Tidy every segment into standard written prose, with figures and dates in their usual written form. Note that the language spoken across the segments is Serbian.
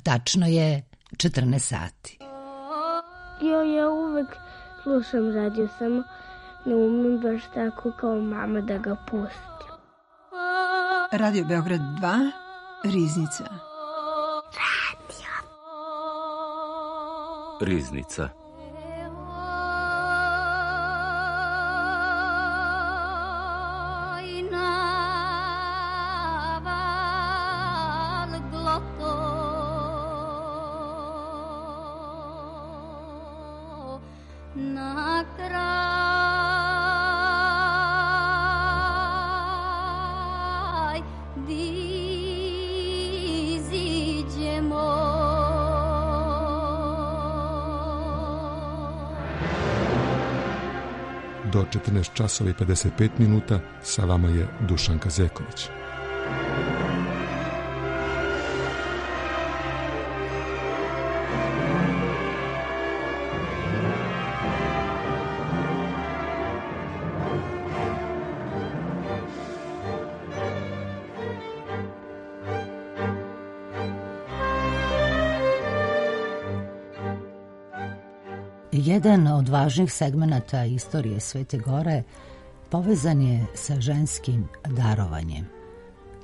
tačno je 14 sati. Ja uvek slušam radio, samo ne umem baš tako kao mama da ga pustim. Radio Beograd 2, Riznica. Riznica. Do 14 časova i 55 minuta sa vama je Dušanka Zeković. Jedan od važnih segmenata istorije Svete Gore povezan je sa ženskim darovanjem.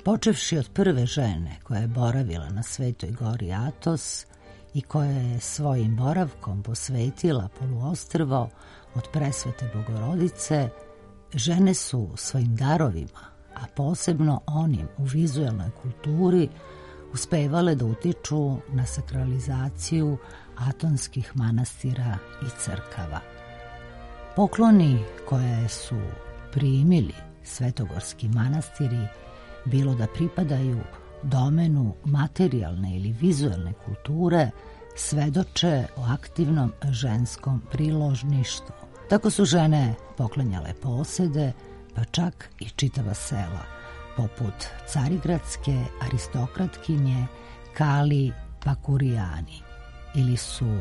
Počevši od prve žene koja je boravila na Svetoj Gori Atos i koja je svojim boravkom posvetila poluostrvo od presvete Bogorodice, žene su svojim darovima, a posebno onim u vizuelnoj kulturi, uspevale da utiču na sakralizaciju atonskih manastira i crkava. Pokloni koje su primili svetogorski manastiri, bilo da pripadaju domenu materijalne ili vizuelne kulture, svedoče o aktivnom ženskom priložništvu. Tako su žene poklanjale posede, pa čak i čitava sela, poput carigradske aristokratkinje Kali Pakurijani, ili su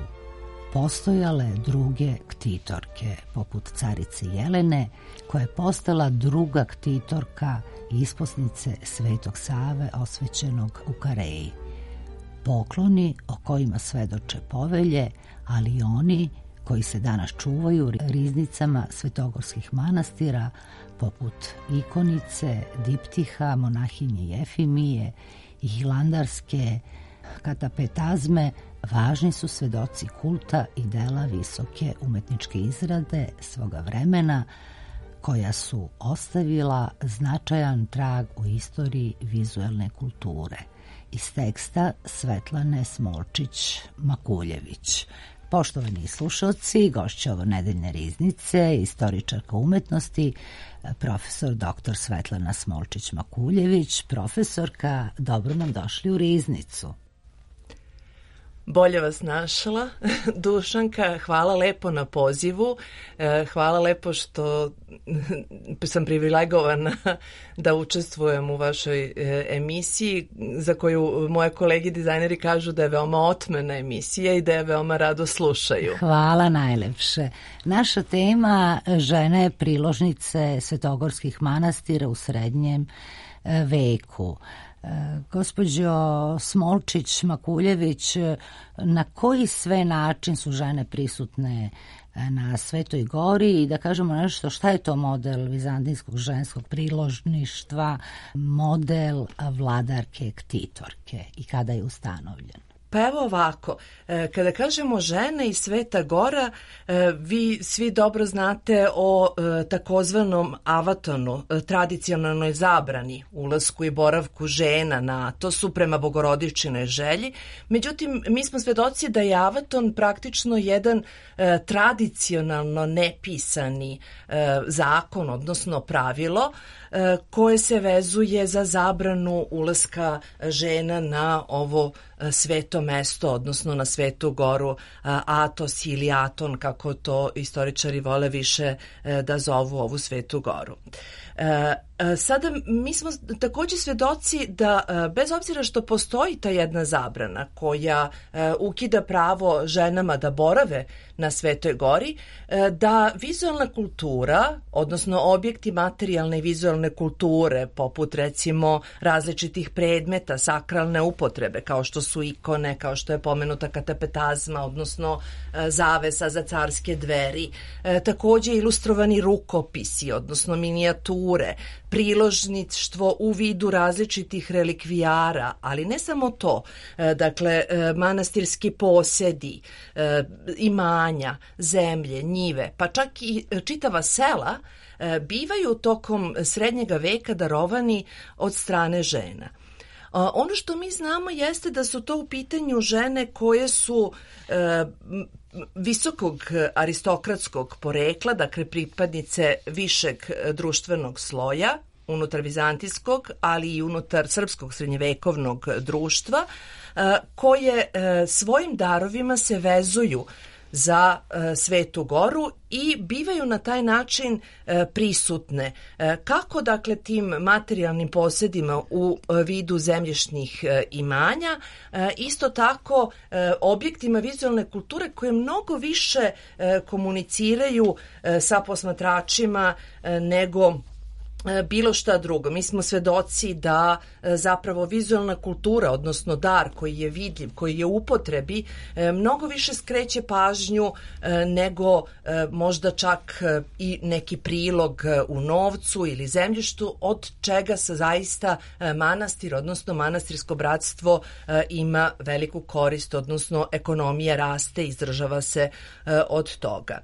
postojale druge ktitorke, poput carice Jelene, koja je postala druga ktitorka i isposnice Svetog Save osvećenog u Kareji. Pokloni o kojima svedoče povelje, ali i oni koji se danas čuvaju riznicama svetogorskih manastira, poput ikonice, diptiha, monahinje Jefimije i hilandarske katapetazme, važni su svedoci kulta i dela visoke umetničke izrade svoga vremena, koja su ostavila značajan trag u istoriji vizuelne kulture. Iz teksta Svetlane Smolčić-Makuljević. Poštovani slušalci, gošća ovo nedeljne riznice, istoričarka umetnosti, profesor dr. Svetlana Smolčić-Makuljević. Profesorka, dobro nam došli u riznicu. Bolje vas našla, Dušanka, hvala lepo na pozivu, hvala lepo što sam privilegovana da učestvujem u vašoj emisiji, za koju moje kolege dizajneri kažu da je veoma otmena emisija i da je veoma rado slušaju. Hvala najlepše. Naša tema žene priložnice svetogorskih manastira u srednjem veku. Gospođo Smolčić-Makuljević, na koji sve način su žene prisutne na Svetoj Gori i da kažemo nešto, šta je to model vizantijskog ženskog priložništva, model vladarke ktitorke i kada je ustanovljen? Pa evo ovako, kada kažemo žene i Sveta Gora, vi svi dobro znate o takozvanom avatonu, tradicionalnoj zabrani ulasku i boravku žena na Atosu prema Bogorodičinoj želji. Međutim, mi smo svedoci da je avaton praktično jedan tradicionalno nepisani zakon, odnosno pravilo, koje se vezuje za zabranu ulaska žena na ovo sveto mesto, odnosno na Svetu Goru Atos ili Aton, kako to istoričari vole više da zovu ovu Svetu Goru. Sada mi smo također svjedoci da bez obzira što postoji ta jedna zabrana koja ukida pravo ženama da borave na Svetoj gori, da vizualna kultura, odnosno objekti materijalne i vizualne kulture, poput recimo različitih predmeta, sakralne upotrebe, kao što su ikone, kao što je pomenuta katapetazma, odnosno zavesa za carske dveri, također ilustrovani rukopisi, odnosno minijature, priložništvo u vidu različitih relikvijara, ali ne samo to, dakle manastirski posjedi, imanja, zemlje, njive, pa čak i čitava sela bivaju tokom srednjega veka darovani od strane žena. Ono što mi znamo jeste da su to u pitanju žene koje su visokog aristokratskog porekla, dakle pripadnice višeg društvenog sloja, unutar vizantijskog, ali i unutar srpskog srednjevekovnog društva, koje svojim darovima se vezuju za Svetu goru i bivaju na taj način prisutne. Kako dakle tim materijalnim posjedima u vidu zemljišnih imanja, isto tako objektima vizualne kulture koje mnogo više komuniciraju sa posmatračima nego bilo šta drugo. Mi smo svedoci da zapravo vizualna kultura, odnosno dar koji je vidljiv, koji je u upotrebi, mnogo više skreće pažnju nego možda čak i neki prilog u novcu ili zemljištu, od čega se zaista manastir, odnosno manastirsko bratstvo ima veliku korist, odnosno ekonomija raste, izdržava se od toga.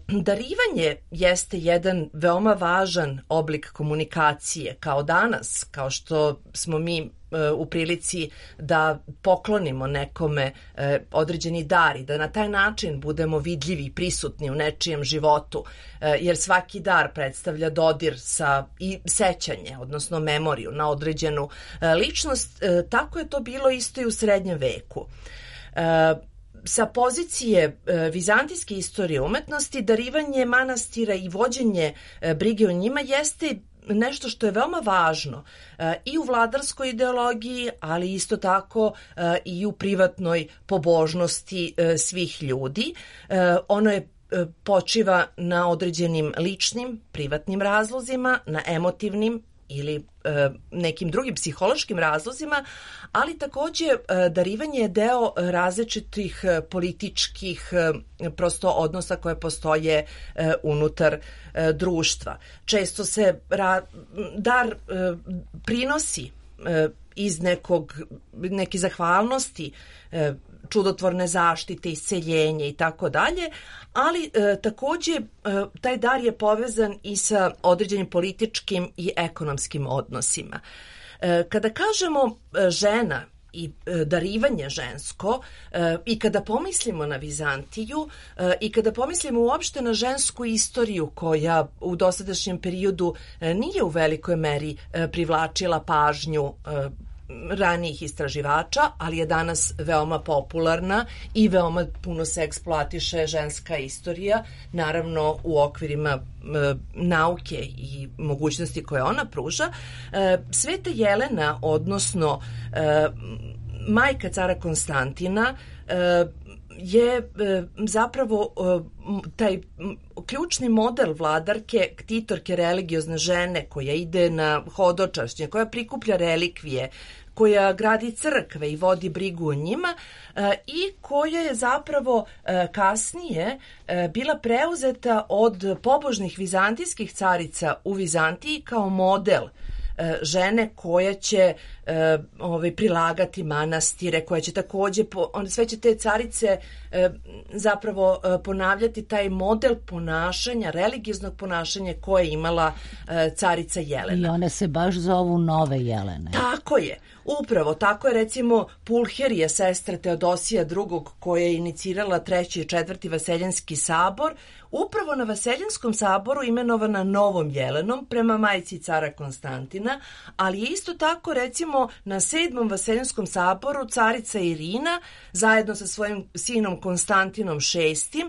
Darivanje jeste jedan veoma važan oblik komunikacije, kao danas, kao što smo mi u prilici da poklonimo nekome određeni dar i da na taj način budemo vidljivi i prisutni u nečijem životu, jer svaki dar predstavlja dodir i sećanje, odnosno memoriju na određenu ličnost. Tako je to bilo isto i u srednjem veku. Sa pozicije vizantijske istorije umetnosti, darivanje manastira i vođenje brige o njima jeste nešto što je veoma važno i u vladarskoj ideologiji, ali isto tako i u privatnoj pobožnosti svih ljudi. Ono je počiva na određenim ličnim, privatnim razlozima, na emotivnim ili nekim drugim psihološkim razlozima, ali također darivanje je deo različitih političkih prosto odnosa koje postoje unutar društva. Često se dar prinosi iz neke zahvalnosti, čudotvorne zaštite, isceljenje i tako dalje, ali također taj dar je povezan i sa određenim političkim i ekonomskim odnosima. Kada kažemo žena i darivanje žensko i kada pomislimo na Vizantiju i kada pomislimo uopšte na žensku istoriju koja u dosadašnjem periodu nije u velikoj meri privlačila pažnju ranijih istraživača, ali je danas veoma popularna i veoma puno se eksploatiše ženska istorija, naravno u okvirima nauke i mogućnosti koje ona pruža. Sveta Jelena, odnosno majka cara Konstantina, je zapravo taj ključni model vladarke, ktitorke, religiozne žene koja ide na hodočašće, koja prikuplja relikvije, koja gradi crkve i vodi brigu o njima i koja je zapravo kasnije bila preuzeta od pobožnih vizantijskih carica u Vizantiji kao model žene koja će prilagati manastire, koja će također, sve će te carice zapravo ponavljati taj model ponašanja, religioznog ponašanja koje je imala carica Jelena. I one se baš zovu nove Jelene. Tako je. Upravo, tako je recimo Pulherija, sestra Teodosija II, koja je inicirala 3. i 4. Vaseljenski sabor, upravo na Vaseljanskom saboru imenovana novom Jelenom prema majci cara Konstantina, ali je isto tako recimo na 7. Vaseljanskom saboru carica Irina zajedno sa svojim sinom Konstantinom VI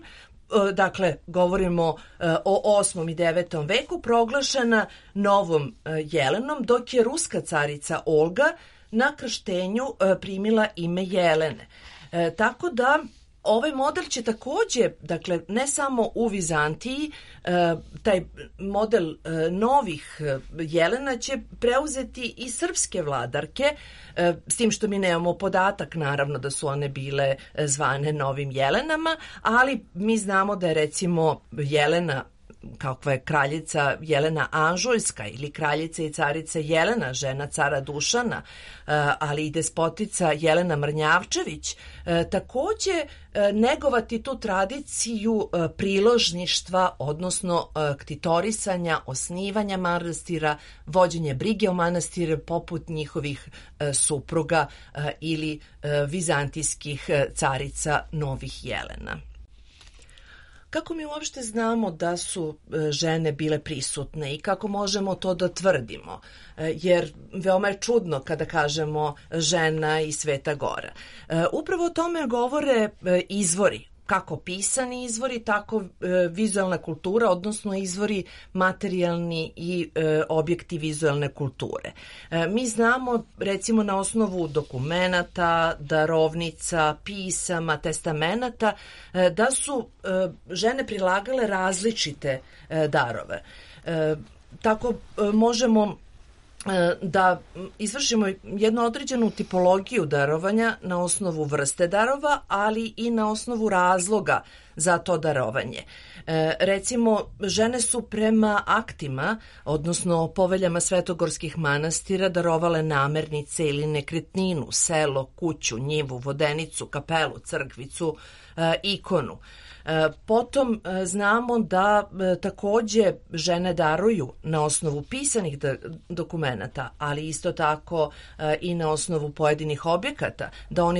dakle, govorimo o 8. i 9. veku, proglašena novom Jelenom, dok je ruska carica Olga na krštenju primila ime Jelene. Tako da ovaj model će takođe, dakle, ne samo u Vizantiji, taj model novih Jelena će preuzeti i srpske vladarke, s tim što mi nemamo podatak, naravno, da su one bile zvane novim Jelenama, ali mi znamo da je, recimo, Jelena, kakva je kraljica Jelena Anžujska ili kraljica i carica Jelena, žena cara Dušana, ali i despotica Jelena Mrnjavčević, takođe negovati tu tradiciju priložništva, odnosno ktitorisanja, osnivanja manastira, vođenje brige o manastire poput njihovih supruga ili vizantijskih carica novih Jelena. Kako mi uopšte znamo da su žene bile prisutne i kako možemo to da tvrdimo? Jer veoma je čudno kada kažemo žena i Sveta Gora. Upravo o tome govore izvori, kako pisani izvori, tako vizualna kultura, odnosno izvori materijalni i objekti vizualne kulture. Mi znamo, recimo, na osnovu dokumenata, darovnica, pisama, testamenata, da su žene prilagale različite darove. Tako možemo da izvršimo jednu određenu tipologiju darovanja na osnovu vrste darova, ali i na osnovu razloga za to darovanje. Recimo, žene su prema aktima, odnosno poveljama svetogorskih manastira, darovale namernice ili nekretninu, selo, kuću, njivu, vodenicu, kapelu, crkvicu, ikonu. Potom znamo da takođe žene daruju na osnovu pisanih dokumenata, ali isto tako i na osnovu pojedinih objekata, da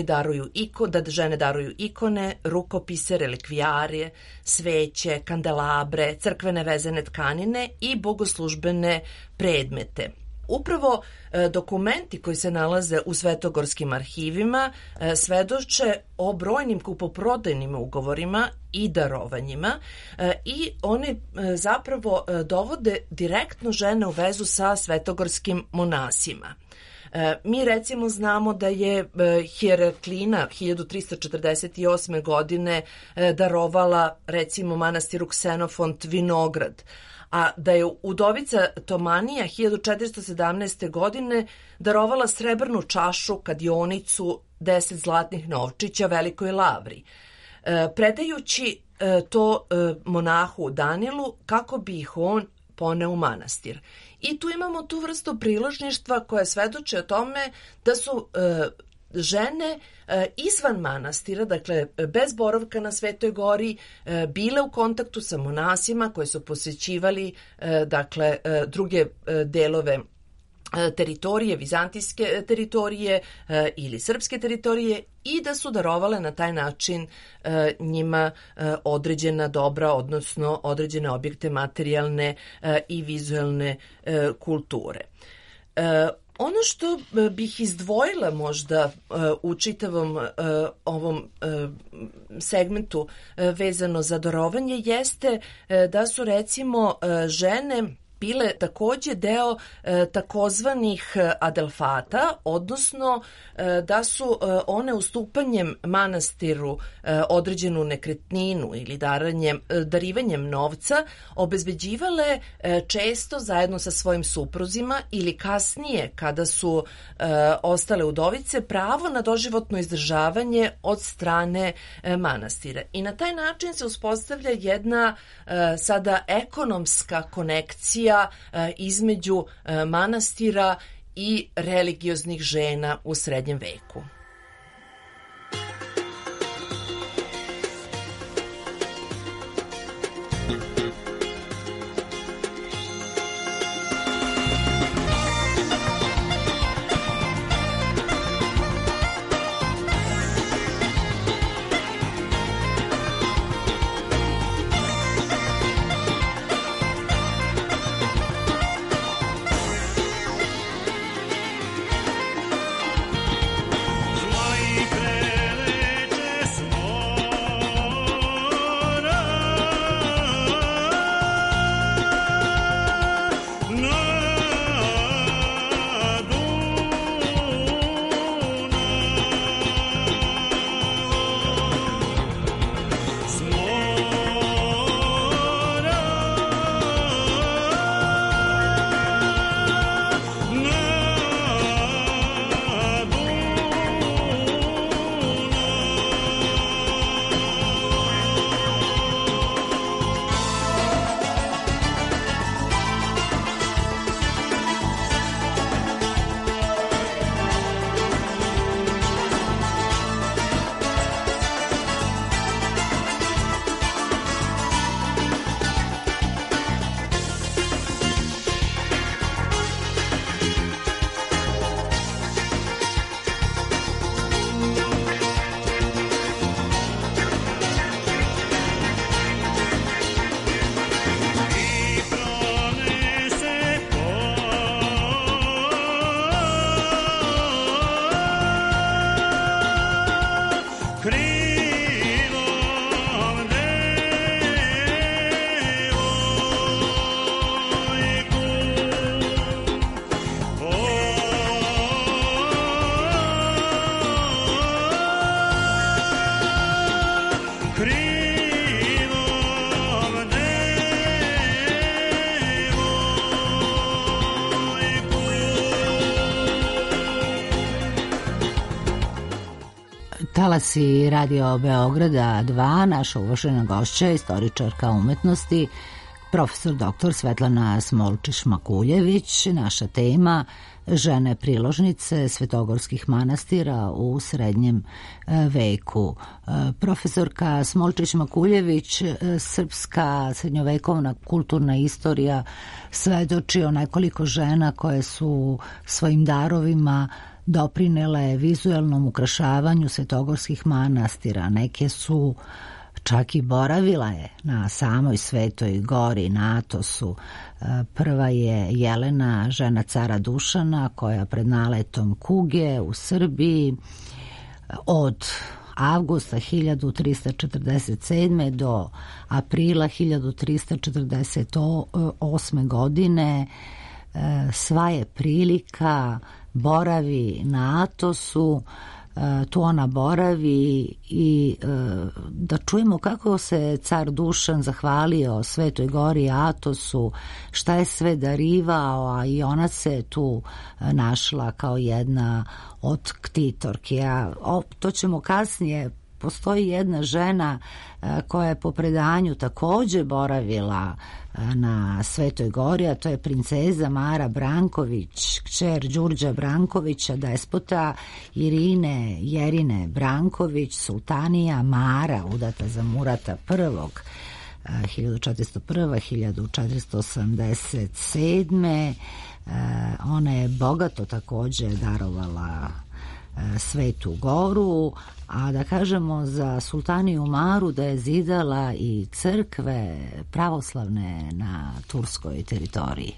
žene daruju ikone, rukopise, relikvijare, sveće, kandelabre, crkvene vezane tkanine i bogoslužbene predmete. Upravo dokumenti koji se nalaze u svetogorskim arhivima svedoče o brojnim kupoprodajnim ugovorima i darovanjima i oni zapravo dovode direktno žene u vezu sa svetogorskim monasima. Mi recimo znamo da je Heraklina 1348. godine darovala recimo manastiru Ksenofont vinograd, a da je udovica Tomanija 1417. godine darovala srebrnu čašu, kadionicu, 10 zlatnih novčića Velikoj Lavri, predajući to monahu Danilu kako bi ih on poneo u manastir. I tu imamo tu vrstu priložništva koja svedoče o tome da su žene izvan manastira, dakle bez boravka na Svetoj Gori, bile u kontaktu sa monasima koji su posjećivali dakle druge delove teritorije, vizantijske teritorije ili srpske teritorije i da su darovale na taj način njima određena dobra, odnosno određene objekte materijalne i vizualne kulture. Ono što bih izdvojila možda u čitavom ovom segmentu vezano za darovanje jeste da su recimo žene bile takođe deo takozvanih adelfata, odnosno da su one ustupanjem manastiru određenu nekretninu ili darivanjem novca obezbeđivale često zajedno sa svojim supruzima ili kasnije kada su ostale udovice pravo na doživotno izdržavanje od strane manastira. I na taj način se uspostavlja jedna sada ekonomska konekcija između manastira i religioznih žena u srednjem veku. Talasi Radio Beograda 2, naša uvažena gošća, istoričarka umetnosti, profesor dr. Svetlana Smolčić-Makuljević. Naša tema: žene priložnice svetogorskih manastira u srednjem veku. Profesorka Smolčić-Makuljević, srpska srednjovekovna kulturna istorija svedoči o nekoliko žena koje su svojim darovima doprinele vizuelnom ukrašavanju svetogorskih manastira. Neke su čak i boravila je na samoj Svetoj gori, na Atosu. Prva je Jelena, žena cara Dušana, koja pred naletom kuge u Srbiji od avgusta 1347. do aprila 1348. godine sva je prilika boravi na Atosu. Tu ona boravi i da čujemo kako se car Dušan zahvalio Svetoj gori Atosu, šta je sve darivao, a i ona se tu našla kao jedna od ktitorki. To ćemo kasnije. Postoji jedna žena koja je po predanju takođe boravila na Svetoj gori, a to je princeza Mara Branković, kćer Đurđa Brankovića, despota Irine Jerine Branković, sultanija Mara, udata za Murata I, 1401-1487. Ona je bogato takođe darovala Svetu goru, a da kažemo za sultaniju Maru da je zidala i crkve pravoslavne na turskoj teritoriji.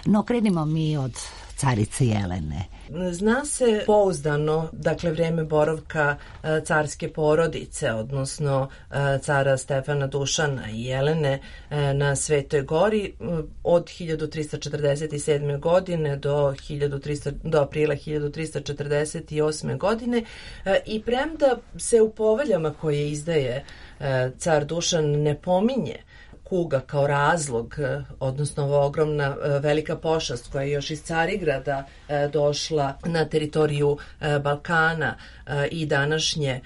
No, krenimo mi od carice Jelene. Zna se pouzdano, dakle, vreme boravka carske porodice, odnosno cara Stefana Dušana i Jelene na Svetoj gori od 1347. godine do aprila 1348. godine, i premda se u poveljama koje izdaje car Dušan ne pominje kuga kao razlog, odnosno ova ogromna velika pošast koja je još iz Carigrada došla na teritoriju Balkana i današnje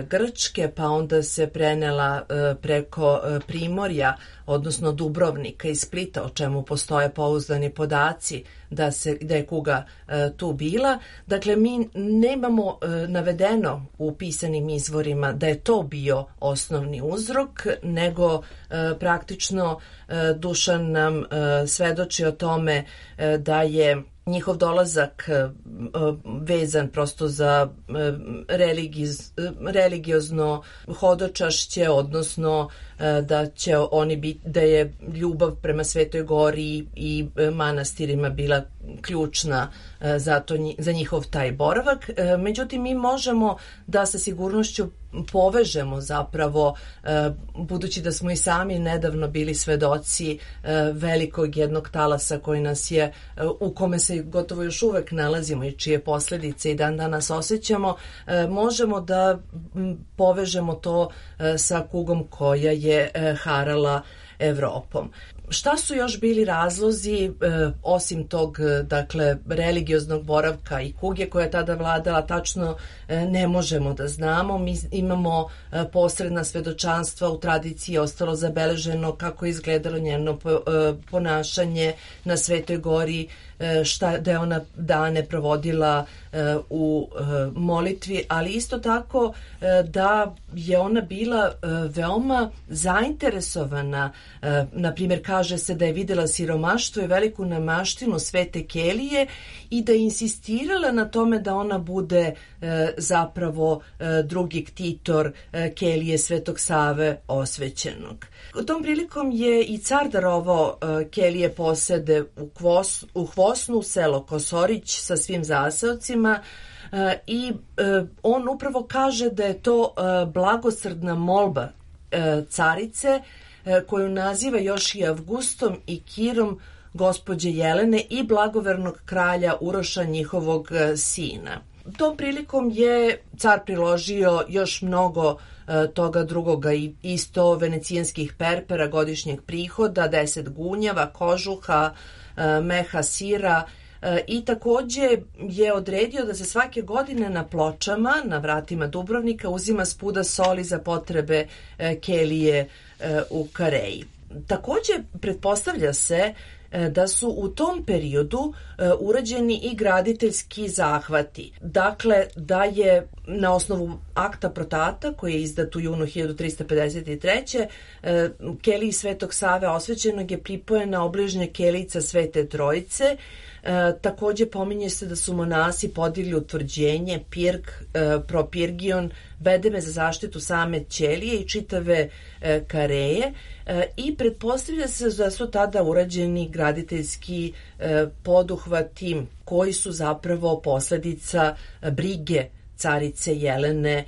Grčke, pa onda se prenela preko Primorja, odnosno Dubrovnika i Splita, o čemu postoje pouzdani podaci da je kuga tu bila. Dakle, mi nemamo navedeno u pisanim izvorima da je to bio osnovni uzrok, nego praktično Dušan nam svedoči o tome da je njihov dolazak vezan prosto za religiozno hodočašće, odnosno da je ljubav prema Svetoj gori i manastirima bila ključna za njihov taj boravak. Međutim, mi možemo da sa sigurnošću povežemo zapravo, budući da smo i sami nedavno bili svedoci velikog jednog talasa koji nas je, u kome se gotovo još uvek nalazimo i čije posledice i dan danas osjećamo, možemo da povežemo to sa kugom koja je harala Evropom. Šta su još bili razlozi, osim tog, dakle, religioznog boravka i kuge koja je tada vladala, tačno ne možemo da znamo. Mi imamo posredna svedočanstva, u tradiciji je ostalo zabeleženo kako je izgledalo njeno ponašanje na Svetoj gori, da je ona dane provodila u molitvi, ali isto tako da je ona bila veoma zainteresovana. Na primjer, kaže se da je videla siromaštvo i veliku nemaštinu Svete Kelije i da je insistirala na tome da ona bude zapravo drugi ktitor Kelije Svetog Save osvećenog. Tom prilikom je i car darovao Kelije posede u Hvosnu, selo Kosorić sa svim zaseocima, i on upravo kaže da je to blagosrdna molba carice, koju naziva još i Avgustom i Kirom gospođe Jelene i blagovernog kralja Uroša, njihovog sina. Tom prilikom je car priložio još mnogo toga drugoga, i 100 venecijanskih perpera godišnjeg prihoda, 10 gunjava, kožuha, meha, sira, i takođe je odredio da se svake godine na Pločama, na vratima Dubrovnika, uzima spuda soli za potrebe kelije u Kareji. Takođe, pretpostavlja se da su u tom periodu urađeni i graditeljski zahvati. Dakle, da je na osnovu akta Protata, koji je izdat u junu 1353. keliji Svetog Save Osvećenog je pripojena obližnja kelica Svete Trojice. Takođe pominje se da su monasi podigli utvrđenje, pirg, propirgion, bedeme za zaštitu same ćelije i čitave Kareje i pretpostavlja se da su tada urađeni graditeljski poduhvati koji su zapravo posledica brige carice Jelene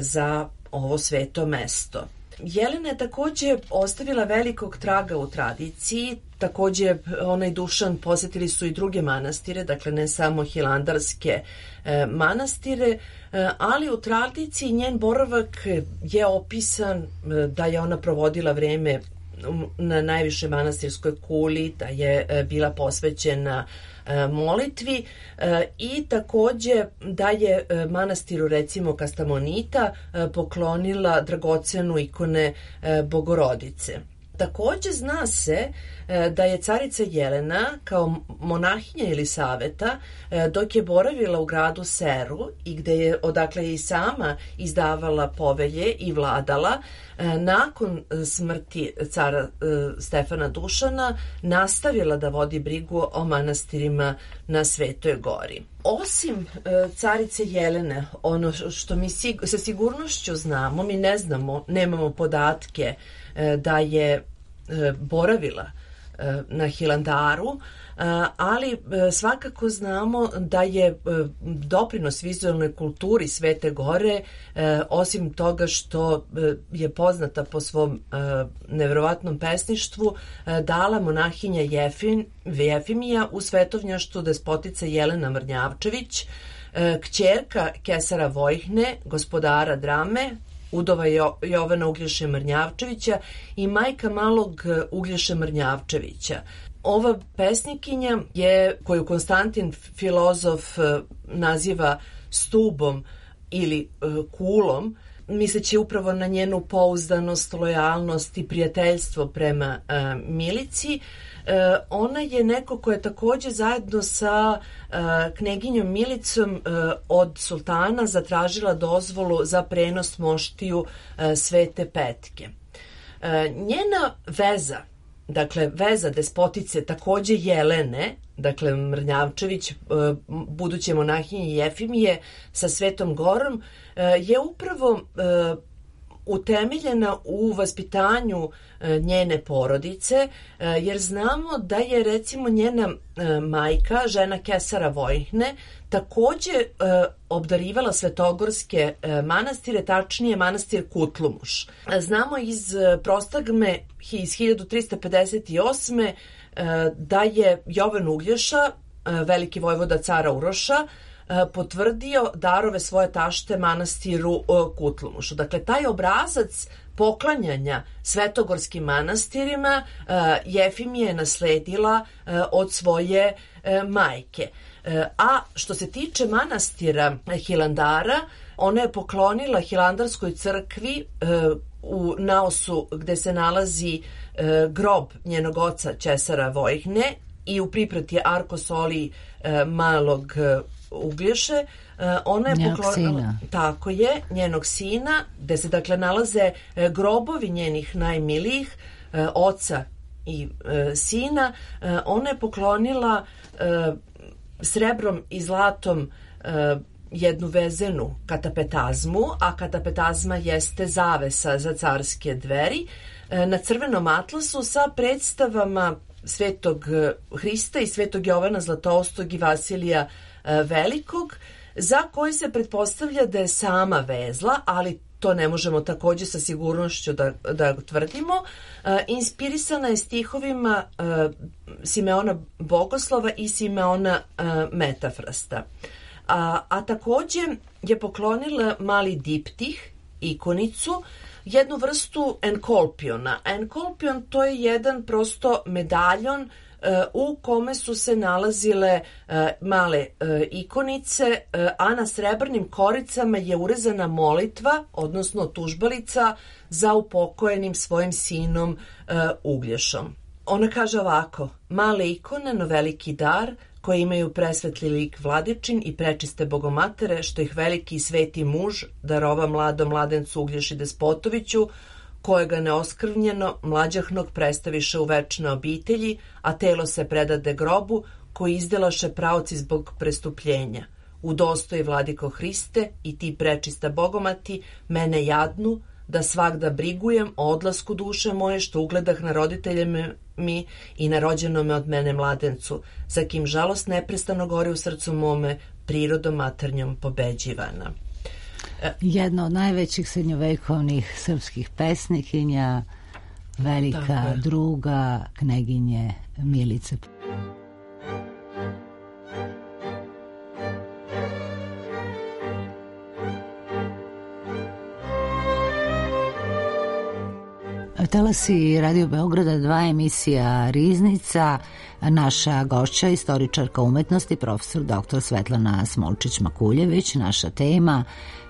za ovo sveto mesto. Jelena je takođe ostavila velikog traga u tradiciji, takođe ona i Dušan posetili su i druge manastire, dakle ne samo hilandarske manastire, ali u tradiciji njen boravak je opisan da je ona provodila vreme na najvišoj manastirskoj kuli, da je bila posvećena molitvi i takođe da je manastiru recimo Kastamonita poklonila dragocenu ikone Bogorodice. Takođe zna se da je carica Jelena kao monahinja Jelisaveta dok je boravila u gradu Seru i gde je odakle i sama izdavala povelje i vladala, nakon smrti cara Stefana Dušana nastavila da vodi brigu o manastirima na Svetoj Gori. Osim carice Jelene, ono što mi sa sigurnošću znamo, mi ne znamo, nemamo podatke da je boravila na Hilandaru, ali svakako znamo da je doprinos vizualnoj kulturi Svete Gore, osim toga što je poznata po svom neverovatnom pesništvu, dala monahinja Jefimija u svetovnjaštvu despotica Jelena Mrnjavčević, kćerka Kesara Vojhne, gospodara Drame, udova Jovana Uglješe Mrnjavčevića i majka malog Uglješe Mrnjavčevića. Ova pesnikinja je, koju Konstantin filozof naziva stubom ili kulom, misleći upravo na njenu pouzdanost, lojalnost i prijateljstvo prema Milici, ona je neko ko je takođe zajedno sa kneginjom Milicom od sultana zatražila dozvolu za prenos moštiju Svete Petke. Njena veza, dakle veza despotice takođe Jelene, dakle Mrnjavčević, buduće monahinje Jefimije sa Svetom Gorom, je upravo utemeljena u vaspitanju njene porodice, jer znamo da je recimo njena majka, žena Kesara Vojhne, takođe obdarivala svetogorske manastire, tačnije manastir Kutlumuš. Znamo iz prostagme iz 1358. Da je Jovan Uglješa, veliki vojvoda cara Uroša, potvrdio darove svoje tašte manastiru Kutlumušu. Dakle, taj obrazac poklanjanja svetogorskim manastirima Jefimija je nasledila od svoje majke. A što se tiče manastira Hilandara, ona je poklonila Hilandarskoj crkvi u naosu gde se nalazi grob njenog oca Česara Vojhne i u priprati arkosoli malog Uglješe, ona je poklonila, tako je, njenog sina, gde se dakle nalaze grobovi njenih najmilijih, oca i sina. Ona je poklonila srebrom i zlatom jednu vezenu katapetazmu, a katapetazma jeste zavesa za carske dveri, na crvenom atlasu sa predstavama Svetog Hrista i Svetog Jovana Zlatoustog i Vasilija Velikog, za koji se pretpostavlja da je sama vezla, ali to ne možemo takođe sa sigurnošću da tvrdimo. Inspirisana je stihovima Simeona Bogoslova i Simeona Metafrasta. A takođe je poklonila mali diptih, ikonicu, jednu vrstu enkolpiona. Enkolpion to je jedan prosto medaljon u kome su se nalazile male ikonice, a na srebrnim koricama je urezana molitva, odnosno tužbalica za upokojenim svojim sinom Uglješom. Ona kaže ovako: male ikone, no veliki dar, koje imaju presvetli lik Vladičin i prečiste bogomatere, što ih veliki i sveti muž darova mladom mladencu Uglješi Despotoviću, kojega neoskrvnjeno mlađahnog predstaviše u večne obitelji, a telo se predade grobu, koji izdelaše pravci zbog prestupljenja. Udostoji, Vladiko Hriste, i ti prečista bogomati, mene jadnu, da svagda brigujem o odlasku duše moje, što ugledah na roditelje mi i na rođenome od mene mladencu, za kim žalost neprestano gori u srcu mome, prirodom maternjom pobeđivana. Jedna od najvećih srednjovekovnih srpskih pesnikinja, velika druga kneginje Milice. Talasi Radio Beograda 2, emisija Riznica. Naša gošća, istoričarka umetnosti, profesor dr. Svetlana Smolčić-Makuljević. Naša tema: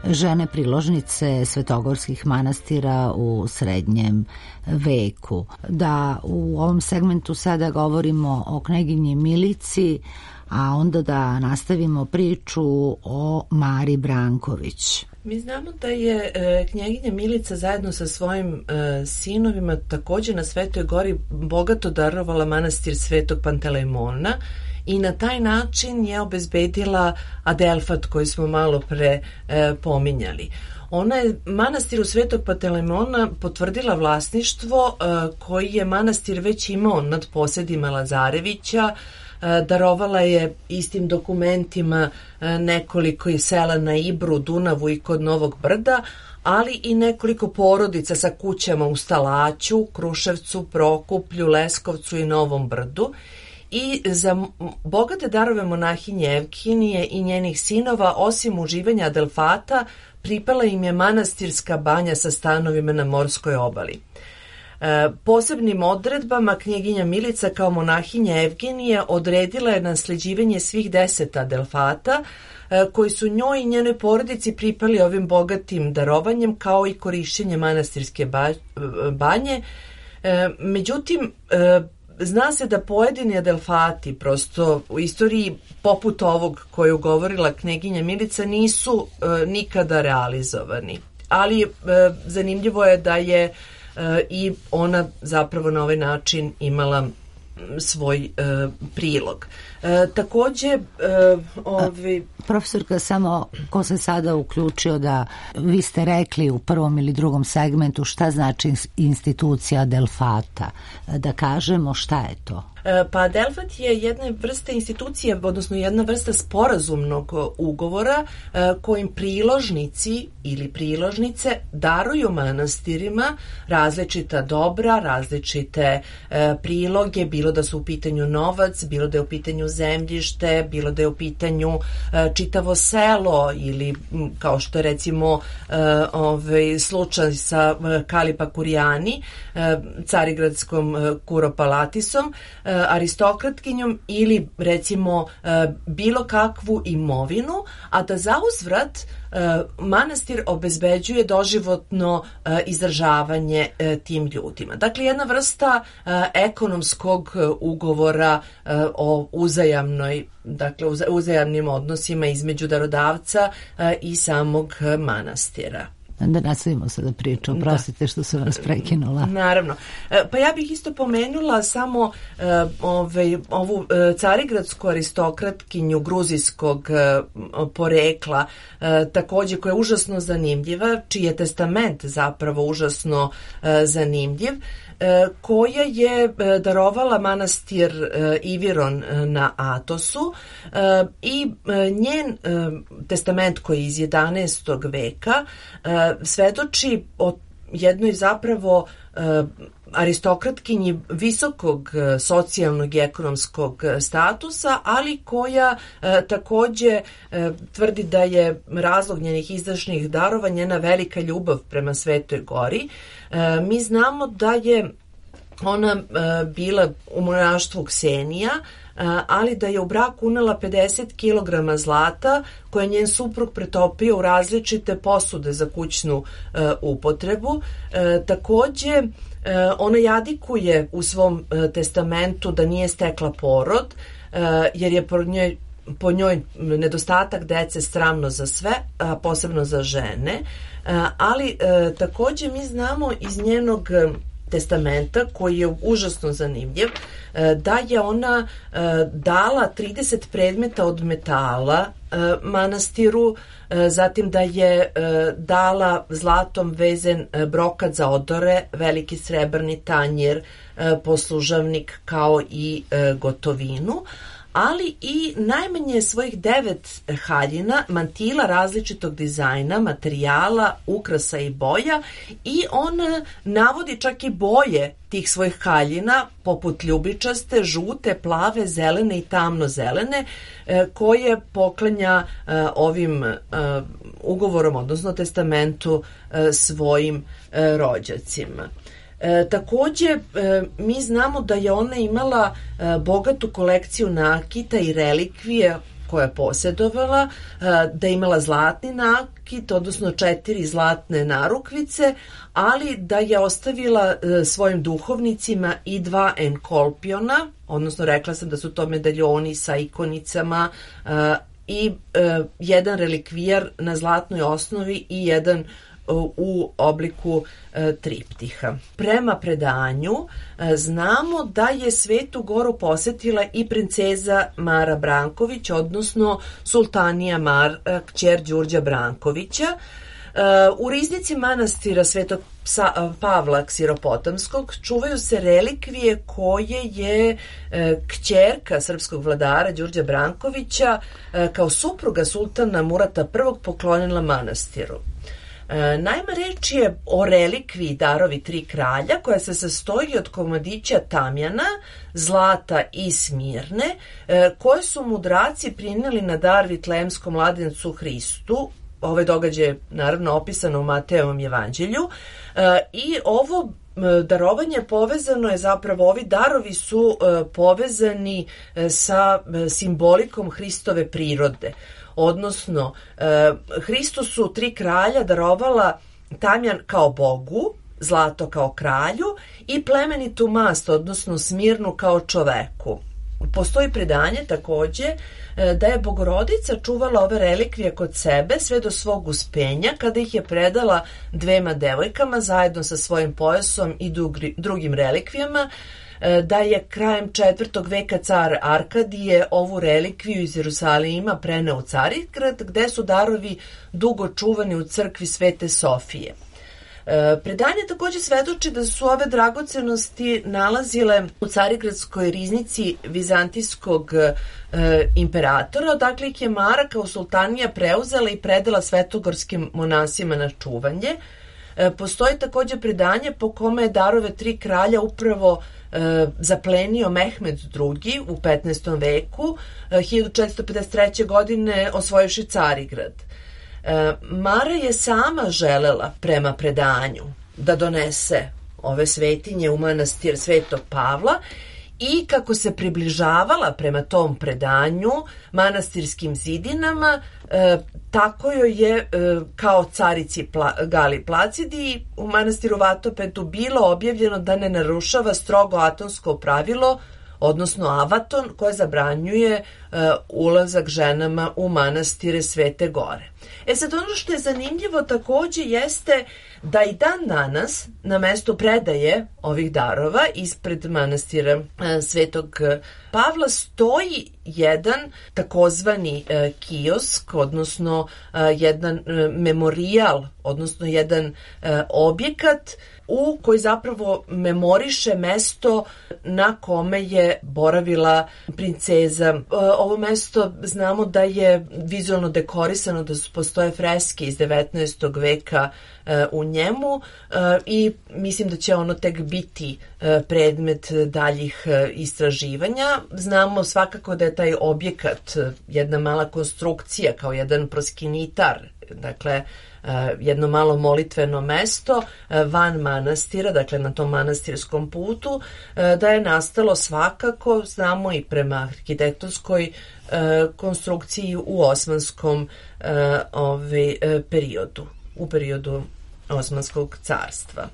žene priložnice svetogorskih manastira u srednjem veku. Da u ovom segmentu sada govorimo o kneginji Milici, a onda da nastavimo priču o Mari Branković. Mi znamo da je knjeginja Milica zajedno sa svojim sinovima također na Svetoj gori bogato darovala manastir Svetog Pantelejmona i na taj način je obezbedila Adelfat koji smo malo pre pominjali. Ona je manastiru Svetog Pantelejmona potvrdila vlasništvo koji je manastir već imao nad posedima Lazarevića. Darovala je istim dokumentima nekoliko sela na Ibru, Dunavu i kod Novog Brda, ali i nekoliko porodica sa kućama u Stalaću, Kruševcu, Prokuplju, Leskovcu i Novom Brdu. I za bogate darove monahinje Evkinije i njenih sinova, osim uživanja Adelfata, pripala im je manastirska banja sa stanovima na morskoj obali. Posebnim odredbama knjeginja Milica kao monahinja Evgenije odredila je nasleđivanje svih 10 Adelfata koji su njoj i njenoj porodici pripali ovim bogatim darovanjem, kao i korišćenje manastirske banje. Međutim, zna se da pojedini Adelfati prosto u istoriji poput ovog koju govorila knjeginja Milica nisu nikada realizovani. Ali zanimljivo je da je i ona zapravo na ovaj način imala svoj prilog. Takođe profesorka, samo ko se sada uključio, da vi ste rekli u prvom ili drugom segmentu šta znači institucija Adelfata, da kažemo šta je to? Pa Adelfat je jedna vrsta institucije, odnosno jedna vrsta sporazumnog ugovora kojim priložnici ili priložnice daruju manastirima različita dobra, različite priloge, bilo da su u pitanju novac, bilo da je u pitanju zemljište, bilo da je u pitanju čitavo selo ili kao što je recimo slučaj sa Kalipa Kurijani, carigradskom kuropalatisom, aristokratkinjom, ili recimo bilo kakvu imovinu, a da zauzvrat manastir obezbeđuje doživotno izdržavanje tim ljudima. Dakle, jedna vrsta ekonomskog ugovora o uzajamnim odnosima između darodavca i samog manastira. Da nastavimo sada priču, oprostite što sam vas prekinula. Naravno. Pa ja bih isto pomenula samo ovu carigradsku aristokratkinju gruzijskog porekla, takođe koja je užasno zanimljiva, čiji je testament zapravo užasno zanimljiv, koja je darovala manastir Iviron na Atosu i njen testament koji je iz 11. veka svedoči o jednoj zapravo aristokratkinji visokog socijalnog i ekonomskog statusa, ali koja takođe tvrdi da je razlog njenih izdašnih darova njena velika ljubav prema Svetoj gori. Mi znamo da je ona bila u monaštvu Ksenija, ali da je u brak unela 50 kg zlata koje je njen suprug pretopio u različite posude za kućnu upotrebu. Takođe, ona jadikuje u svom testamentu da nije stekla porod, jer je po njoj nedostatak dece sramno za sve, a posebno za žene, ali takođe mi znamo iz njenog testamenta, koji je užasno zanimljiv, da je ona dala 30 predmeta od metala manastiru, zatim da je dala zlatom vezen brokat za odore, veliki srebrni tanjir, poslužavnik kao i gotovinu, ali i najmanje svojih 9 haljina, mantila različitog dizajna, materijala, ukrasa i boja, i on navodi čak i boje tih svojih haljina, poput ljubičaste, žute, plave, zelene i tamnozelene, koje poklanja ovim ugovorom, odnosno testamentu, svojim rođacima. Takođe, mi znamo da je ona imala bogatu kolekciju nakita i relikvije koje je posjedovala, da je imala zlatni nakit, odnosno 4 zlatne narukvice, ali da je ostavila svojim duhovnicima i 2 enkolpiona, odnosno rekla sam da su to medaljoni sa ikonicama, i jedan relikvijar na zlatnoj osnovi i jedan u obliku triptiha. Prema predanju znamo da je Svetu Goru posetila i princeza Mara Branković, odnosno sultanija Mara, kćer Đurđa Brankovića. U riznici manastira Svetog Pavla Ksiropotamskog čuvaju se relikvije koje je kćerka srpskog vladara Đurđa Brankovića kao supruga sultana Murata I poklonila manastiru. Naime, reč je o relikviji Darovi 3 kralja, koja se sastoji od komadića tamjana, zlata i smirne, koje su mudraci prineli na dar Vitlejemskom mladencu Hristu. Ovaj događaj je naravno opisano u Matejevom evanđelju, i ovo darovanje povezano je, zapravo ovi darovi su povezani sa simbolikom Hristove prirode. Odnosno, Hristu su 3 kralja darovala tamjan kao bogu, zlato kao kralju i plemenitu mast, odnosno smirnu kao čoveku. Postoji predanje takođe da je Bogorodica čuvala ove relikvije kod sebe sve do svog uspenja, kada ih je predala 2 devojkama zajedno sa svojim pojasom i drugim relikvijama, da je krajem 4. veka car Arkadije ovu relikviju iz Jerusalima preneo u Carigrad, gde su darovi dugo čuvani u crkvi Svete Sofije. Predanje takođe svedoči da su ove dragocenosti nalazile u Carigradskoj riznici vizantijskog imperatora, odakle ih je Mara kao sultanija preuzela i predala svetogorskim monasima na čuvanje. Postoji takođe predanje po kome je darove 3 kralja upravo zaplenio Mehmed II u 15. veku, 1453. godine osvojivši Carigrad. Mara je sama želela, prema predanju, da donese ove svetinje u manastir Svetog Pavla, i kako se približavala prema tom predanju manastirskim zidinama, tako joj je kao carici Gali Placidi u manastiru Vatopetu bilo objavljeno da ne narušava strogo atonsko pravilo, odnosno avaton, koje zabranjuje ulazak ženama u manastire Svete Gore. Sad, ono što je zanimljivo takođe jeste da i dan danas na mestu predaje ovih darova ispred manastira Svetog Pavla stoji jedan takozvani kiosk, odnosno jedan memorijal, odnosno jedan objekat u koji zapravo memoriše mesto na kome je boravila princeza. Ovo mesto znamo da je vizualno dekorisano, da postoje freske iz 19. veka u njemu, i mislim da će ono tek biti predmet daljih istraživanja. Znamo svakako da je taj objekat jedna mala konstrukcija, kao jedan proskinitar dakle jedno malo molitveno mesto van manastira, dakle na tom manastirskom putu, da je nastalo svakako, znamo i prema arhitektonskoj konstrukciji u osmanskom periodu, u periodu Osmanskog carstva.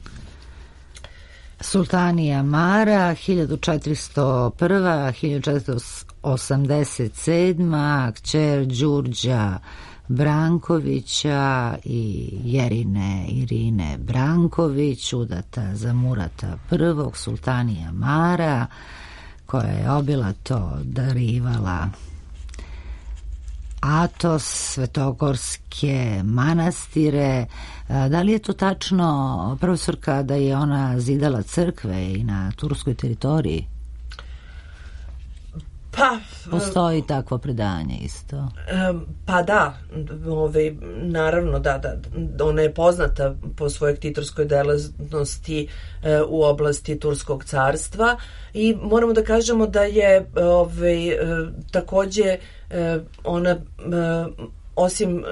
Sultanija Mara 1401-1487, kćer Đurđa Brankovića i Jerine Irine Branković, udata za Murata I, sultanija Mara, koja je obilato darivala Atos, svetogorske manastire. Da li je to tačno, profesorka, da je ona zidala crkve i na turskoj teritoriji? Pa, postoji takvo predanje isto. Pa da, naravno da, ona je poznata po svojoj ktitorskoj delatnosti u oblasti Turskog carstva i moramo da kažemo da je takođe ona osim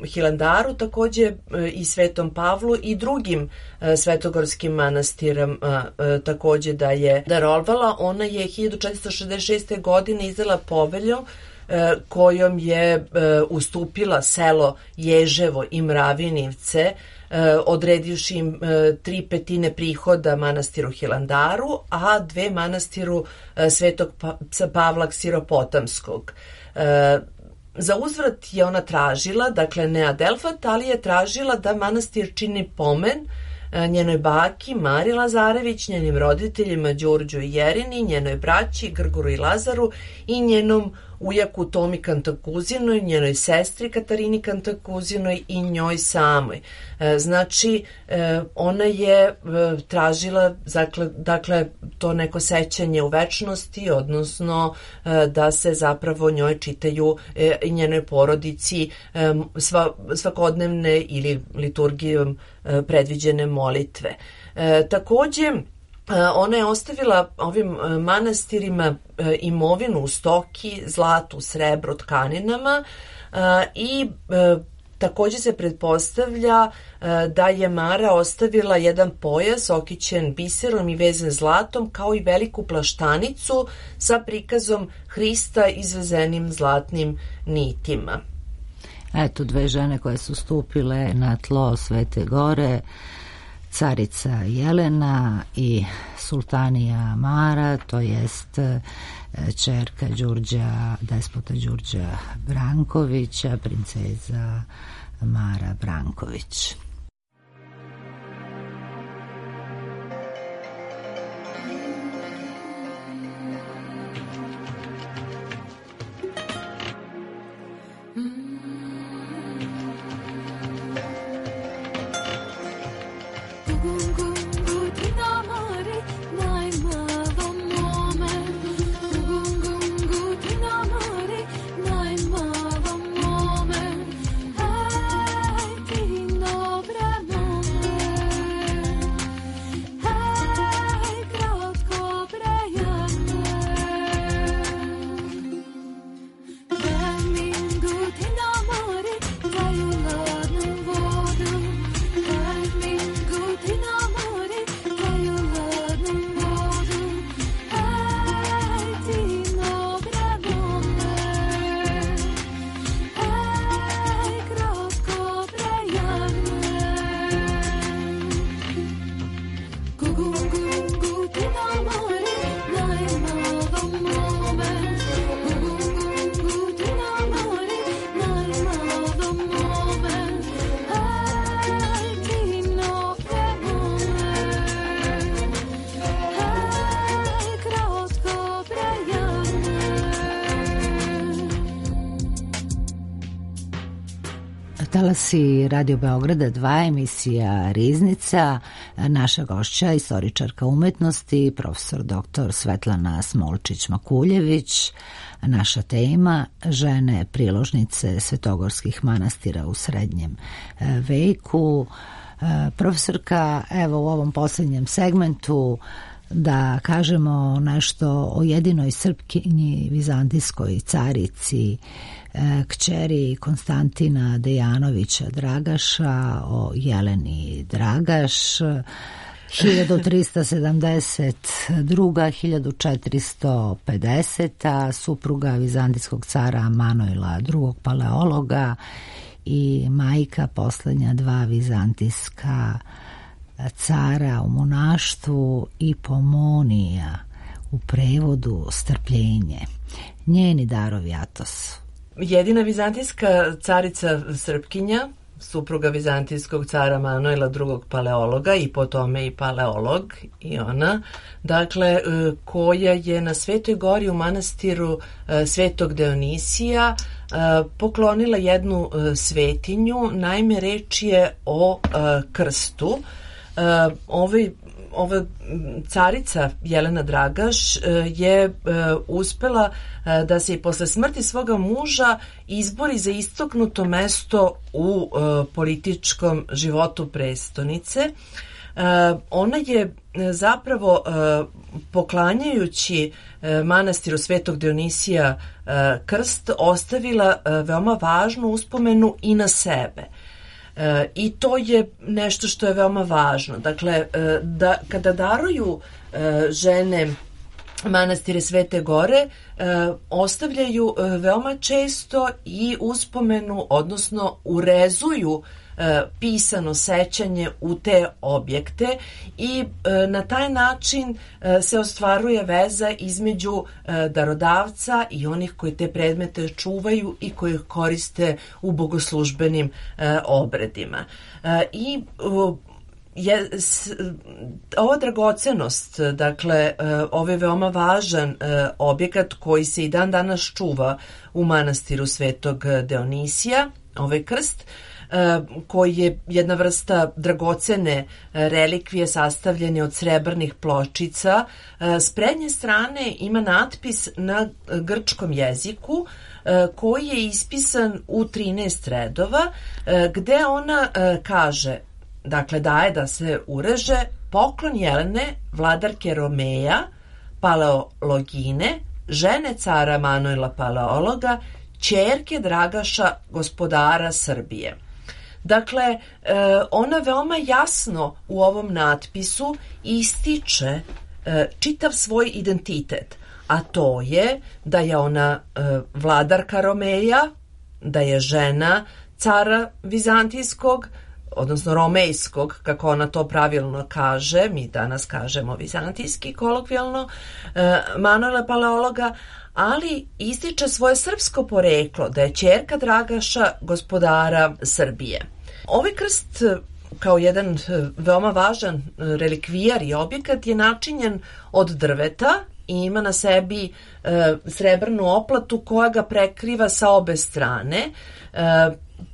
Hilandaru takođe i Svetom Pavlu i drugim svetogorskim manastirama takođe da je darovala. Ona je 1466. godine izdala povelju kojom je ustupila selo Ježevo i Mravinivce, odredivši im 3/5 prihoda manastiru Hilandaru, a 2 manastiru Svetog Pavla Ksiropotamskog. Za uzvrat je ona tražila, dakle ne Adelfat, ali je tražila da manastir čini pomen njenoj baki Mari Lazarević, njenim roditeljima Đurđu i Jerini, njenoj braći Grgoru i Lazaru i njenom ujaku Tomi Kantakuzinoj, njenoj sestri Katarini Kantakuzinoj i njoj samoj. Znači, ona je tražila, dakle, to neko sećanje u večnosti, odnosno da se zapravo njoj čitaju i njenoj porodici svakodnevne ili liturgijom predviđene molitve. Takođe, ona je ostavila ovim manastirima imovinu u stoki, zlatu, srebro, tkaninama i takođe se pretpostavlja da je Mara ostavila jedan pojas okićen biserom i vezan zlatom, kao i veliku plaštanicu sa prikazom Hrista izvezenim zlatnim nitima. Eto, 2 žene koje su stupile na tlo Svete Gore, carica Jelena i sultanija Mara, to jest ćerka despota Đurđa Brankovića, princeza Mara Branković. Talasi Radio Beograda 2, emisija Riznica. Naša gošća, istoričarka umetnosti, profesor dr. Svetlana Smolčić-Makuljević. Naša tema, žene priložnice svetogorskih manastira u srednjem veku. Profesorka, evo u ovom posljednjem segmentu da kažemo nešto o jedinoj Srpkinji, vizantijskoj carici kćeri Konstantina Dejanovića Dragaša, o Jeleni Dragaš, 1372. 1450. supruga vizantijskog cara Manuila II. Paleologa i majka poslednja dva vizantijska cara u monaštvu, i Pomonia, u prevodu strpljenje. Njeni darovi Atos. Jedina vizantijska carica Srpkinja, supruga vizantijskog cara Manuela II. Paleologa i po tome i paleolog i ona, dakle, koja je na Svetoj gori u manastiru Svetog Dionisija poklonila jednu svetinju. Naime, reč je o krstu. Ova carica Jelena Dragaš je uspela da se i posle smrti svoga muža izbori za istaknuto mesto u političkom životu prestonice. Ona je zapravo poklanjajući manastiru Svetog Dionisija krst ostavila veoma važnu uspomenu i na sebe. I to je nešto što je veoma važno. Dakle, kada daruju žene manastire Svete Gore, ostavljaju veoma često i uspomenu, odnosno urezuju pisano sećanje u te objekte i na taj način se ostvaruje veza između darodavca i onih koji te predmete čuvaju i koji ih koriste u bogoslužbenim obredima. I ova dragocenost, dakle, ovaj veoma važan objekat koji se i dan danas čuva u manastiru Svetog Dionisija, ovaj krst, koji je jedna vrsta dragocene relikvije sastavljene od srebrnih pločica. S prednje strane ima natpis na grčkom jeziku koji je ispisan u 13 redova, gde ona kaže, dakle, daje da se ureže: poklon Jelene, vladarke Romeja, paleologine, žene cara Manuela Paleologa, ćerke Dragaša, gospodara Srbije. Dakle, ona veoma jasno u ovom natpisu ističe čitav svoj identitet, a to je da je ona vladarka Romeja, da je žena cara vizantijskog, odnosno romejskog, kako ona to pravilno kaže, mi danas kažemo vizantijski kolokvijalno, Manuela Paleologa, ali ističe svoje srpsko poreklo, da je ćerka Dragaša, gospodara Srbije. Ovaj krst, kao jedan veoma važan relikvijar i objekat, je načinjen od drveta i ima na sebi srebrnu oplatu koja ga prekriva sa obe strane.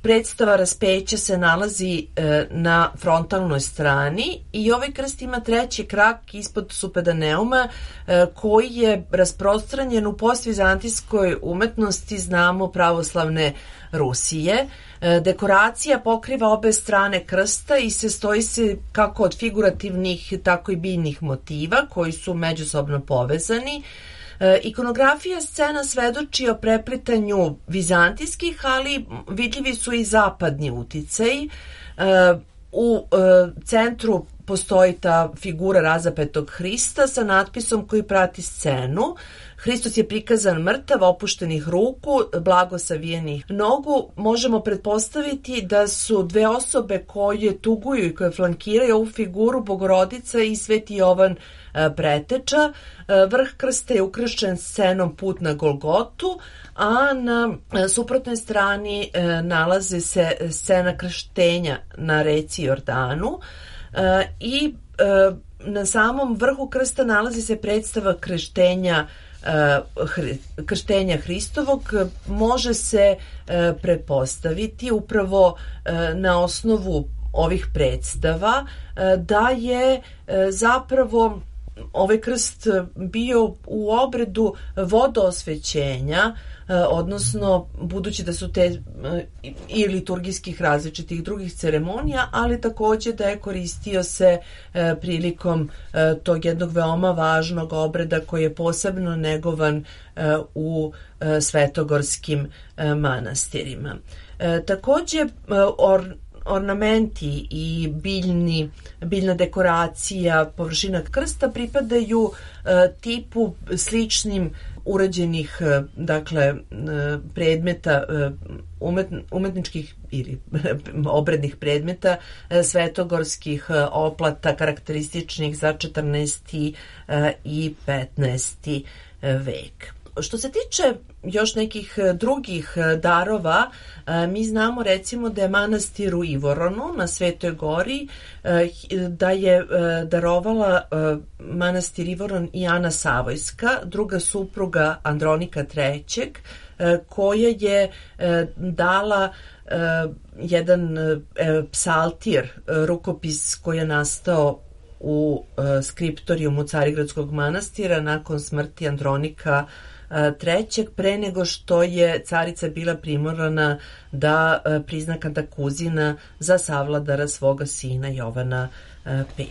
Predstava raspeća se nalazi na frontalnoj strani i ovaj krst ima treći krak ispod supedaneuma koji je rasprostranjen u postvizantijskoj umetnosti, znamo, pravoslavne Rusije. Dekoracija pokriva obe strane krsta i sastoji se kako od figurativnih, tako i biljnih motiva koji su međusobno povezani. Ikonografija scena svedoči o preplitanju vizantijskih, ali vidljivi su i zapadni uticaji. U centru postoji ta figura razapetog Hrista sa natpisom koji prati scenu. Hristos je prikazan mrtav, opuštenih ruku, blago savijenih nogu. Možemo pretpostaviti da su dve osobe koje tuguju i koje flankiraju ovu figuru Bogorodica i Sveti Jovan Preteča. Vrh krsta je ukršten scenom Put na Golgotu, a na suprotnoj strani nalaze se scena krštenja na reci Jordanu i na samom vrhu krsta nalazi se predstava krštenja Hristovog. Može se pretpostaviti upravo na osnovu ovih predstava da je zapravo ovaj krst bio u obredu vodoosvećenja, odnosno budući da su te i liturgijskih različitih drugih ceremonija, ali takođe da je koristio se prilikom tog jednog veoma važnog obreda koji je posebno negovan u svetogorskim manastirima. Takođe, ornamenti i biljna dekoracija, površina krsta pripadaju tipu sličnim urađenih, dakle, predmeta, umetničkih ili obrednih predmeta svetogorskih oplata karakterističnih za 14. i 15. vek. Što se tiče još nekih drugih darova, mi znamo recimo da je manastir u Ivoronu na Svetoj gori, da je darovala manastir Ivoron i Ana Savojska, druga supruga Andronika III, koja je dala jedan psaltir, rukopis koji je nastao u skriptorijumu Carigradskog manastira nakon smrti Andronika III, pre nego što je carica bila primorana da prizna kantakuzina za savladara svoga sina Jovana V.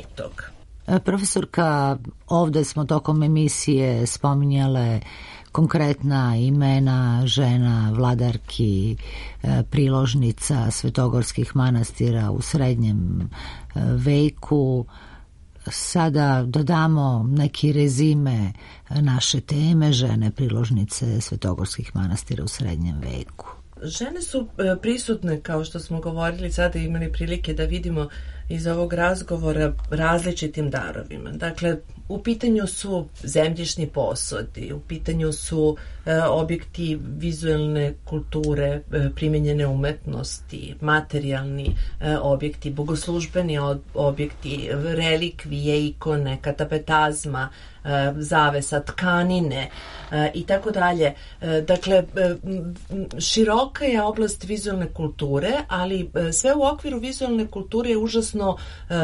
Profesorka, ovde smo tokom emisije spominjale konkretna imena žena, vladarki, priložnica svetogorskih manastira u srednjem veku. Sada dodamo neki rezime naše teme, žene priložnice svetogorskih manastira u srednjem veku. Žene su prisutne, kao što smo govorili, sada imali prilike da vidimo iz ovog razgovora, različitim darovima. Dakle, u pitanju su zemljišni posodi, u pitanju su objekti vizuelne kulture, primenjene umetnosti, materijalni objekti, bogoslužbeni objekti, relikvije, ikone, katapetazma, zavesa, tkanine i tako dalje. Dakle, široka je oblast vizualne kulture, ali sve u okviru vizualne kulture je užasno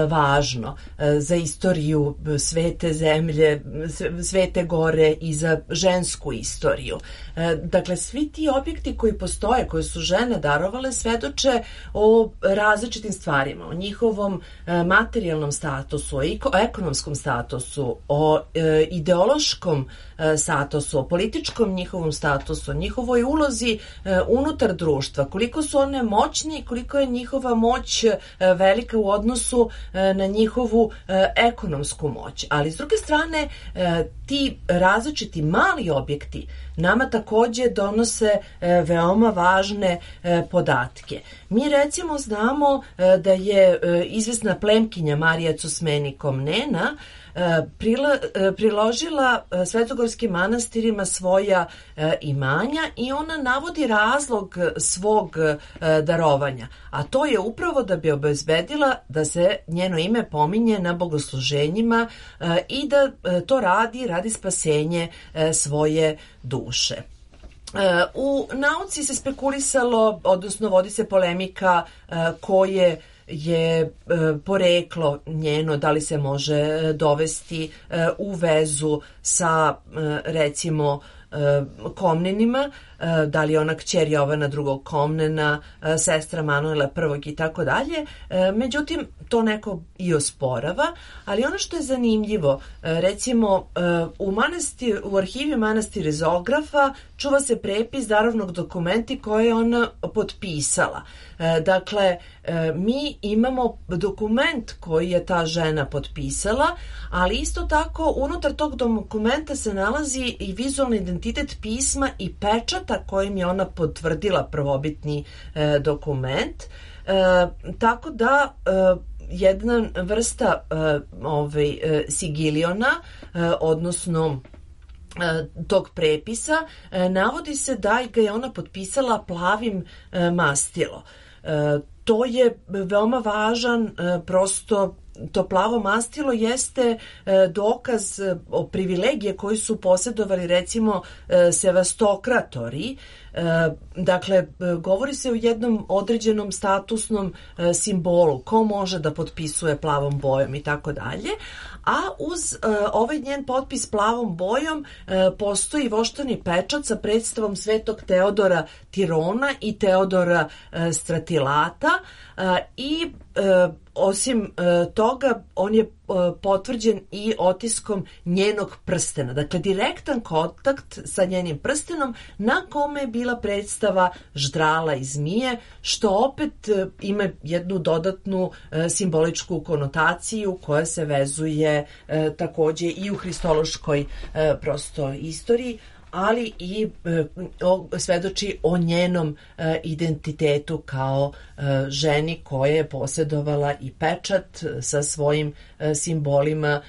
važno za istoriju svete zemlje, Svete gore i za žensku istoriju. Dakle, svi ti objekti koji postoje, koje su žene darovale, svedoče o različitim stvarima, o njihovom materijalnom statusu, o ekonomskom statusu, o ideološkom statusu, o političkom njihovom statusu, o njihovoj ulozi unutar društva, koliko su one moćne i koliko je njihova moć velika u odnosu na njihovu ekonomsku moć. Ali s druge strane, ti različiti mali objekti nama takođe donose veoma važne podatke. Mi recimo znamo da je izvesna plemkinja Marija Cosmeni Komnena priložila svetogorskim manastirima svoja imanja i ona navodi razlog svog darovanja, a to je upravo da bi obezbedila da se njeno ime pominje na bogosluženjima i da to radi spasenje svoje duše. U nauci se spekulisalo, odnosno vodi se polemika koje je poreklo njeno, da li se može dovesti u vezu sa recimo Komnenima, da li je ona kćer Jovana II. Komnena, sestra Manuela I. i tako dalje. Međutim, to neko i osporava, ali ono što je zanimljivo, recimo u arhivi manastira Zografa čuva se prepis darovnog dokumenta koje je ona potpisala. Dakle, mi imamo dokument koji je ta žena potpisala, ali isto tako unutar tog dokumenta se nalazi i vizualni identitet pisma i pečata kojim je ona potvrdila prvobitni dokument. Tako da jedna vrsta sigiliona, odnosno tog prepisa, navodi se da ga je ona potpisala plavim mastilo. To je veoma važan prosto to plavo mastilo jeste dokaz o privilegije koji su posjedovali recimo sevastokratori. Dakle, govori se o jednom određenom statusnom simbolu, ko može da potpisuje plavom bojom i tako dalje, a uz ovaj njen potpis plavom bojom postoji voštani pečat sa predstavom Svetog Teodora Tirona i Teodora Stratilata i osim toga on je potvrđen i otiskom njenog prstena. Dakle, direktan kontakt sa njenim prstenom na kome je bila predstava ždrala i zmije, što opet ima jednu dodatnu simboličku konotaciju koja se vezuje takođe i u hristološkoj prosto istoriji, ali i svedoči o njenom identitetu kao ženi koja je posjedovala i pečat sa svojim simbolima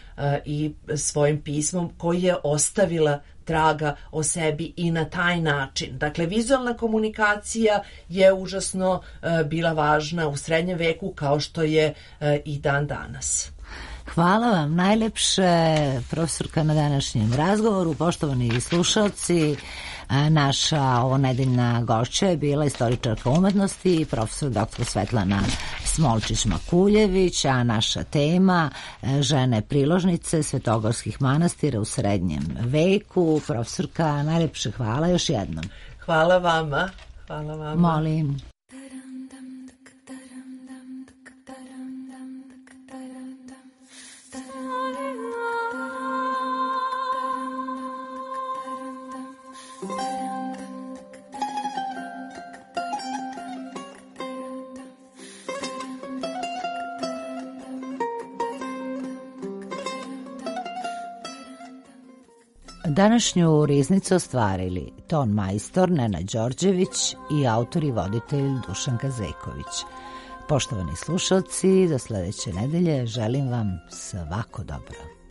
i svojim pismom koji je ostavila traga o sebi i na taj način. Dakle, vizualna komunikacija je užasno bila važna u srednjem veku kao što je i dan danas. Hvala vam najlepše, profesorka, na današnjem razgovoru. Poštovani slušalci, naša ovonedeljna gošća je bila istoričarka umetnosti, profesor dr. Svetlana Smolčić-Makuljević, a naša tema žene priložnice svetogorskih manastira u srednjem veku. Profesorka, najlepše hvala još jednom. Hvala vama. Hvala vama. Molim. Današnju riznicu ostvarili ton majstor Nenad Đorđević i autor i voditelj Dušan Kazeković. Poštovani slušalci, do sledeće nedelje želim vam svako dobro.